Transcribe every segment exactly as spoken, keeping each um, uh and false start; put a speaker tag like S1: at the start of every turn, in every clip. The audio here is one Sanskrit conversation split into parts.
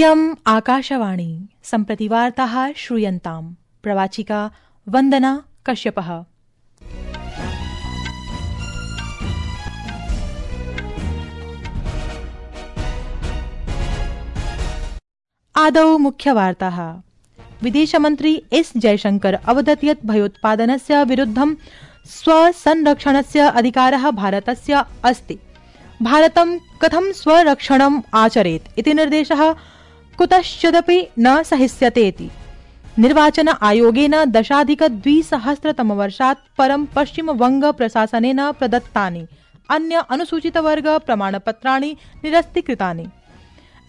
S1: इयम् आकाशवाणी सम्प्रति वार्ताः श्रूयन्ताम्। प्रवाचिका वन्दना कश्यपः। आदौ मुख्यवार्ताः। विदेशमन्त्री एस जयशंकर अवदत् यत् भयोत्पादनस्य विरुद्धं स्वसंरक्षणस्य अधिकारः भारतस्य अस्ति। भारतं कथं स्वरक्षणम् आचरेत् इति निर्देशः कुतश्चिदपि न सहिष्यतेति निर्वाचन आयोगेन दशाधिकद्विसहस्रतमवर्षात् परं पश्चिमवंग प्रशासनेन प्रदत्तानि अन्य अनुसूचितवर्ग प्रमाणपत्राणि निरस्तीकृतानि।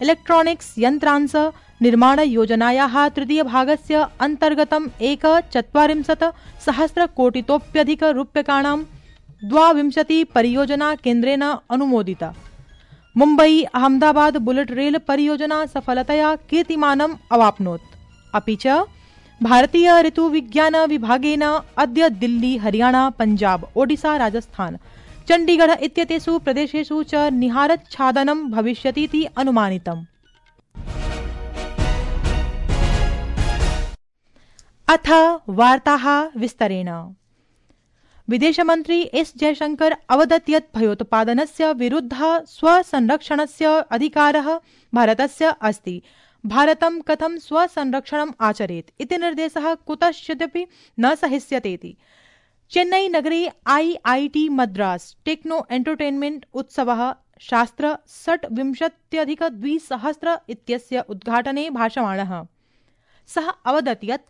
S1: इलेक्ट्रॉनिक्स यन्त्रांश निर्माणयोजनायाः तृतीयभागस्य अन्तर्गतम् एकचत्वारिंशत् सहस्रकोटितोप्यधिक रूप्यकाणां द्वाविंशति परियोजना केन्द्रेण अनुमोदिता। मुम्बई अहमदाबाद बुलेट रेल परियोजना सफलतया कीर्तिमानम् अवाप्नोत्। अपि च भारतीय ऋतुविज्ञान विभागेन अद्य दिल्ली, हरियाणा, पंजाब, ओडिशा, राजस्थान, चण्डीगढ़ इत्येतेषु प्रदेशेषु च निहारच्छादनं भविष्यतीति अनुमानितम्। अथ वार्ताः विस्तरेण। विदेशमन्त्री एस जयशंकर अवदत् यत् भयोत्पादनस्य विरुद्धः स्वसंरक्षणस्य अधिकारः भारतस्य अस्ति। भारतं कथं स्वसंरक्षणम् आचरेत् इति निर्देशः कुतश्चिदपि न सहिष्यतेति चेन्नई नगरे आईआईटी मद्रास टेक्नो एंटरटेनमेंट उत्सवः शास्त्र षड्विंशत्यधिकद्विसहस्र इत्यस्य उद्घाटने भाषमाणः सः अवदत् यत्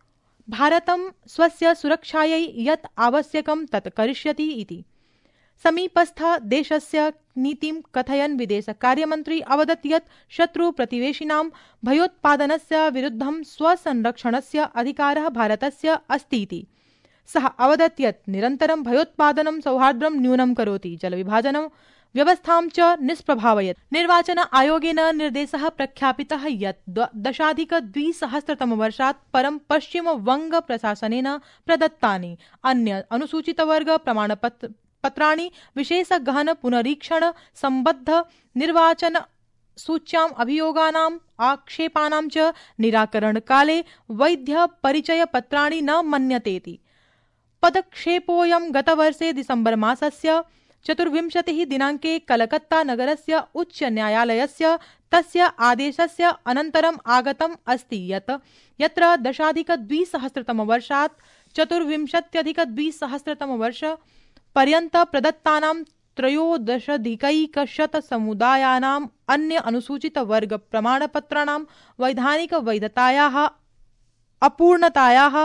S1: भारतं स्वस्य सुरक्षायै यत् आवश्यकं तत् करिष्यति इति। समीपस्थ देशस्य नीतिं कथयन् विदेशकार्यमन्त्री अवदत् यत् शत्रुप्रतिवेशिनां भयोत्पादनस्य विरुद्धं स्वसंरक्षणस्य अधिकारः भारतस्य अस्ति इति। सः अवदत् यत् निरन्तरं भयोत्पादनं सौहार्द्रं न्यूनं करोति, जलविभाजनं व्यवस्थां च निष्प्रभावयत्। निर्वाचन आयोगेन निर्देशः प्रख्यापितः यत् दशाधिकद्विसहस्रतमवर्षात् परं पश्चिमवंग प्रशासनेन प्रदत्तानि अन्य अनुसूचितवर्ग प्रमाणपत्राणि विशेषगहन पुनरीक्षण सम्बद्ध निर्वाचन सूच्याम् अभियोगानाम् आक्षेपानां च निराकरणकाले वैद्य परिचयपत्राणि न मन्यतेति। पदक्षेपोऽयं गतवर्षे दिसम्बर मासस्य चतुर्विंशतिः दिनाङ्के कलकत्ता नगरस्य उच्च न्यायालयस्य तस्य आदेशस्य अनन्तरम् आगतम् अस्ति यत् यत्र दशाधिकद्विसहस्रतमवर्षात् चतुर्विंशत्यधिकद्विसहस्रतमवर्ष पर्यन्त प्रदत्तानां त्रयोदशाधिकैकशतसमुदायानाम् अन्य अनुसूचितवर्ग प्रमाणपत्राणां वैधानिक वैधतायाः अपूर्णतायाः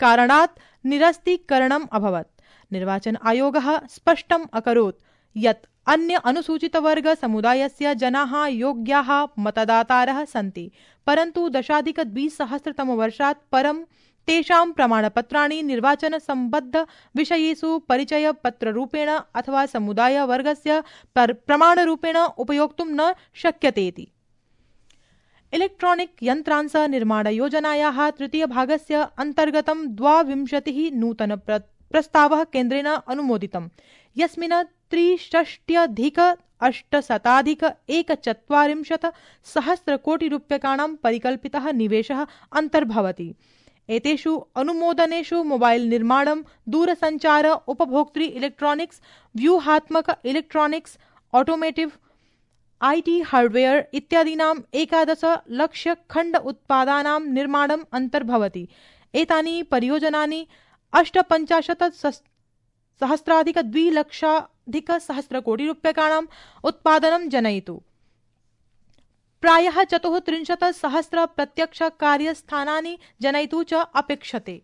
S1: कारणात् निरस्तीकरणम् अभवत्। निर्वाचन आयोगः स्पष्टम् अकरोत् यत् अन्य अनुसूचितवर्ग समुदायस्य जनाः योग्याः मतदातारः सन्ति, परन्तु दशाधिकद्विसहस्रतमवर्षात् परं तेषां प्रमाणपत्राणि निर्वाचन सम्बद्ध विषयेषु परिचयपत्ररूपेण अथवा समुदायवर्गस्य प्रमाणरूपेण उपयोक्तुं न शक्यतेति। इलेक्ट्रॉनिक यन्त्रांश निर्माणयोजनायाः तृतीयभागस्य अन्तर्गतं द्वाविंशतिः नूतन प्रस्तावः केन्द्रेण अनुमोदितम्, यस्मिन् त्रिषष्ट्यधिक अष्टशताधिक एकचत्वारिंशत् सहस्रकोटिरूप्यकाणां परिकल्पितः निवेशः अन्तर्भवति। एतेषु अनुमोदनेषु मोबाइल निर्माणं, दूरसञ्चार, उपभोक्तृ इलेक्ट्रॉनिक्स, व्यूहात्मक इलेक्ट्रॉनिक्स, ऑटोमेटिव, आईटी हार्डवेयर इत्यादीनाम् एकादश लक्ष खण्ड उत्पादानां निर्माणम् अन्तर्भवति। एतानि परियोजनानि अष्टपञ्चाशत् सहस्राधिक द्विलक्षाधिक सहस्रकोटिरूप्यकाणाम् उत्पादनं जनयितु प्रायः चतुस्त्रिंशत् सहस्र प्रत्यक्ष कार्यस्थानानि जनयितु च अपेक्षते।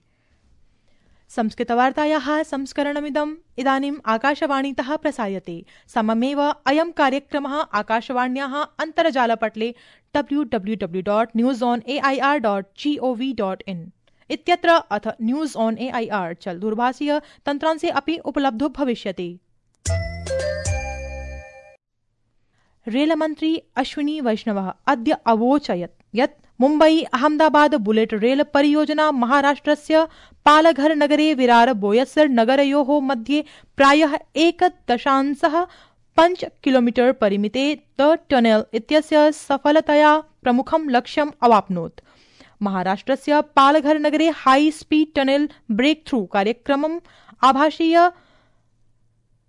S1: संस्कृतवार्तायाः संस्करणमिदम् इदानीम् आकाशवाणीतः प्रसार्यते। सममेव अयं कार्यक्रमः आकाशवाण्याः अन्तर्जालपटले W W W dot news on A I R dot G O V dot in इत्यत्र अथ news on A I R चल दूरभाषीय तन्त्रांशे अपि उपलब्धो भविष्यति। रेलमन्त्री अश्विनी वैष्णवः अद्य अवोचयत् यत् मुम्बई अहमदाबाद बुलेट रेल परियोजना महाराष्ट्रस्य पालघर नगरे विरार बोयसर नगरयोः मध्ये प्रायः एक दशांशः पञ्च किलोमीटर परिमिते द टनेल इत्यस्य सफलतया प्रमुखं लक्ष्यम् अवाप्नोत्। महाराष्ट्रस्य पालघर नगरे high speed tunnel breakthrough कार्यक्रमम् आभासीय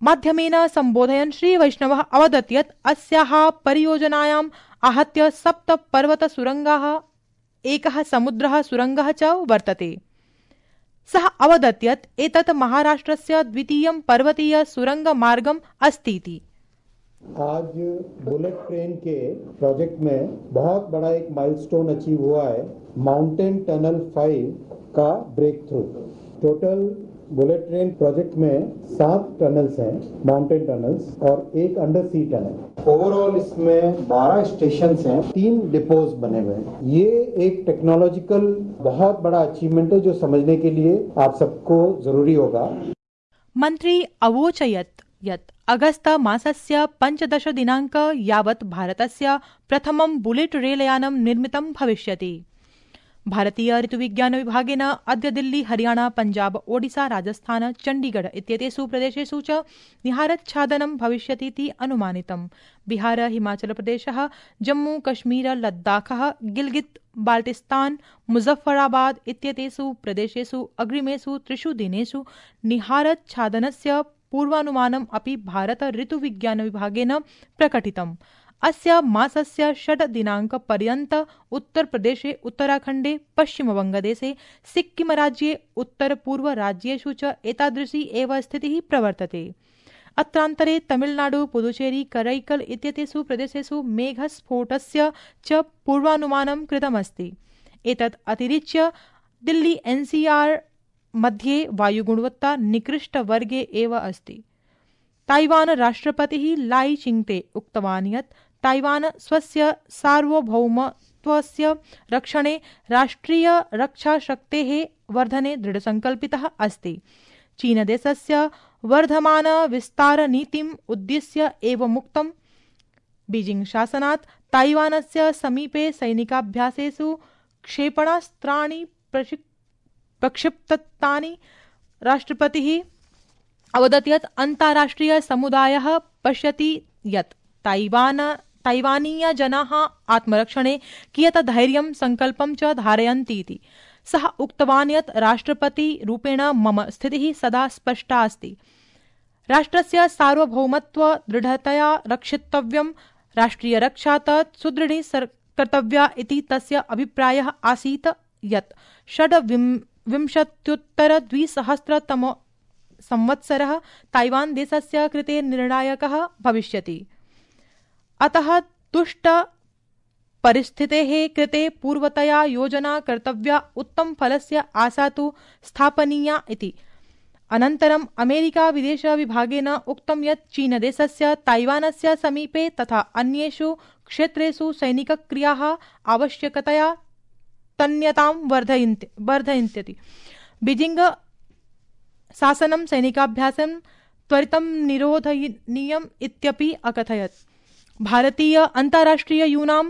S1: माध्यमेन सम्बोधयन् श्रीवैष्णवः अवदत् यत् अस्याः परियोजनायाम् आहत्य सप्त पर्वतसुरङ्गाः, एकः समुद्रः सुरङ्गः च वर्तते। सः अवदत् यत् एतत् महाराष्ट्रस्य द्वितीयं पर्वतीय सुरङ्गमार्गम् अस्तीति।
S2: आज बुलेट ट्रेन के प्रोजेक्ट में बहुत बड़ा एक माइलस्टोन अचीव हुआ है, माउंटेन टनल फाइव का breakthrough. Total bullet train project में सात टनल्स हैं, माउंटेन टनल्स, और एक अंडर सी टनल। ओवरऑल इसमें बारह स्टेशन हैं, तीन डिपोज बने हुए हैं। ये एक टेक्नोलॉजिकल बहुत बड़ा अचीवमेंट है जो समझने के लिए आप सबको जरूरी होगा।
S1: मंत्री अवोचयत् यत् अगस्त मासस्य पञ्चदश दिनाङ्क यावत् भारतस्य प्रथमं बुलेट रेलयानं निर्मितं भविष्यति। भारतीय ऋतुविज्ञान विभागेन अद्य दिल्ली, हरियाणा, पञ्जाब, ओडिशा, राजस्थान, चण्डीगढ़ इत्येतेषु प्रदेशेषु च निहारच्छादनं भविष्यतीति अनुमानितम्। बिहार, हिमाचल प्रदेशः, जम्मू कश्मीर, लद्दाखः, गिल्गित् बाल्टिस्तान, मुजफ्फराबाद इत्येतेषु प्रदेशेषु अग्रिमेषु त्रिषु दिनेषु निहारच्छादनस्य पूर्वानुमानम् अपि भारत ऋतुविज्ञान विभागेन प्रकटितम्। अस्य मासस्य षड् दिनाङ्कपर्यन्त उत्तरप्रदेशे, उत्तराखण्डे, पश्चिमवङ्गदेशे, सिक्किमराज्ये, उत्तरपूर्वराज्येषु च एतादृशी एव स्थितिः प्रवर्तते। अत्रान्तरे तमिलनाडु, पुदुचेरी, करैकल इत्येतेषु प्रदेशेषु मेघस्फोटस्य च पूर्वानुमानं कृतमस्ति। एतत् अतिरिच्य दिल्ली एनसीआर मध्ये वायुगुणवत्ता निकृष्टवर्गे एव अस्ति। ताइवान राष्ट्रपतिः लाई चिंगते उक्तवान् यत् ताइवान स्वस्य सार्वभौमत्वस्य रक्षणे राष्ट्रिय रक्षाशक्तेः वर्धने दृढसङ्कल्पितः अस्ति। चीनदेशस्य वर्धमान विस्तारनीतिम् उद्दिश्य एव मुक्तम्। बीजिंग शासनात् ताइवानस्य समीपे सैनिकाभ्यासेषु क्षेपणास्त्राणि प्रक्षिप्तानि। राष्ट्रपतिः अवदत् यत् अन्ताराष्ट्रिय समुदायः पश्यति यत् ताइवान ताइवानीय जनाः आत्मरक्षणे कियत् धैर्यं संकल्पं च धारयन्ति इति। सः उक्तवान् यत् राष्ट्रपति रूपेण मम स्थितिः सदा स्पष्टा अस्ति। राष्ट्रस्य सार्वभौमत्व दृढतया रक्षितव्यं, राष्ट्रिय रक्षा तत् सुदृढी कर्तव्या इति तस्य अभिप्रायः आसीत् यत् षड्विंशत्युत्तर द्विसहस्रतम संवत्सरः ताइवान देशस्य कृते निर्णायकः भविष्यति। अतः दुष्ट परिस्थितेः कृते पूर्वतया योजना कर्तव्या, उत्तम फलस्य आशा तु स्थापनीया इति। अनन्तरम् अमेरिका विदेश विभागेन उक्तं यत् चीनदेशस्य ताइवानस्य समीपे तथा अन्येषु क्षेत्रेषु सैनिकक्रियाः आवश्यकतया तन्यतां वर्धयन्ति। बीजिंग शासनं सैनिकाभ्यासं त्वरितं निरोधनीयम् इत्यपि अकथयत्। भारतीय अन्ताराष्ट्रिय यूनां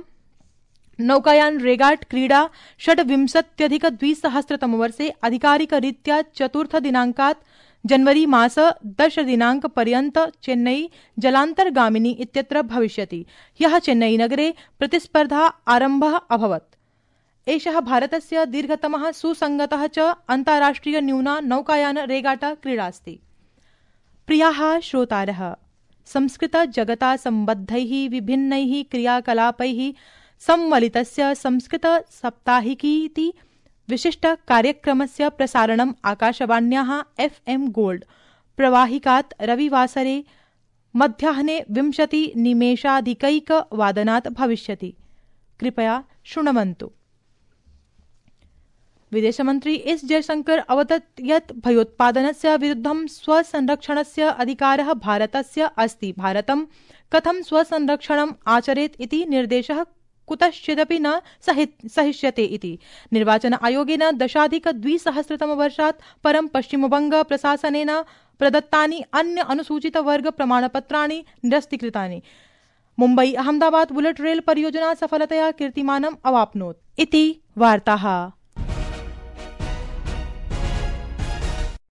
S1: नौकायान रेगाट क्रीडा षड्विंशत्यधिक द्विसहस्रतमवर्षे आधिकारिकरीत्या चतुर्थ दिनाङ्कात् जनवरी मास दश दिनाङ्कपर्यन्त चेन्नई जलान्तर्गामिनी इत्यत्र भविष्यति। ह्यः चेन्नई नगरे प्रतिस्पर्धा आरम्भः अभवत्। एषः भारतस्य दीर्घतमः सुसङ्गतः च अन्ताराष्ट्रिय न्यूना नौकायान रेगाटा क्रीडास्ति। प्रियाः श्रोतारः, संस्कृत जगता सम्बद्धैः विभिन्नैः क्रियाकलापैः सम्मलितस्य संस्कृत साप्ताहिकीति विशिष्ट कार्यक्रमस्य प्रसारणम् आकाशवाण्याः एफ एम गोल्ड प्रवाहिकात् रविवासरे मध्याह्ने विंशति निमेषाधिकैक वादनात् भविष्यति। कृपया शृण्वन्तु। विदेशमन्त्री एस जयशंकर अवदत् यत् भयोत्पादनस्य विरुद्धं स्वसंरक्षणस्य अधिकारः भारतस्य अस्ति। भारतं कथं स्वसंरक्षणम् आचरेत् इति निर्देशः कुतश्चिदपि न सहिष्यते इति। निर्वाचन आयोगेन दशाधिक द्विसहस्रतमवर्षात् परं पश्चिमबंग प्रशासनेन प्रदत्तानि अन्य अनुसूचित वर्ग प्रमाणपत्राणि निरस्तीकृतानि। मुम्बई अहमदाबाद बुलेट रेल परियोजना सफलतया कीर्तिमानम् अवाप्नोत् इति वार्ताः।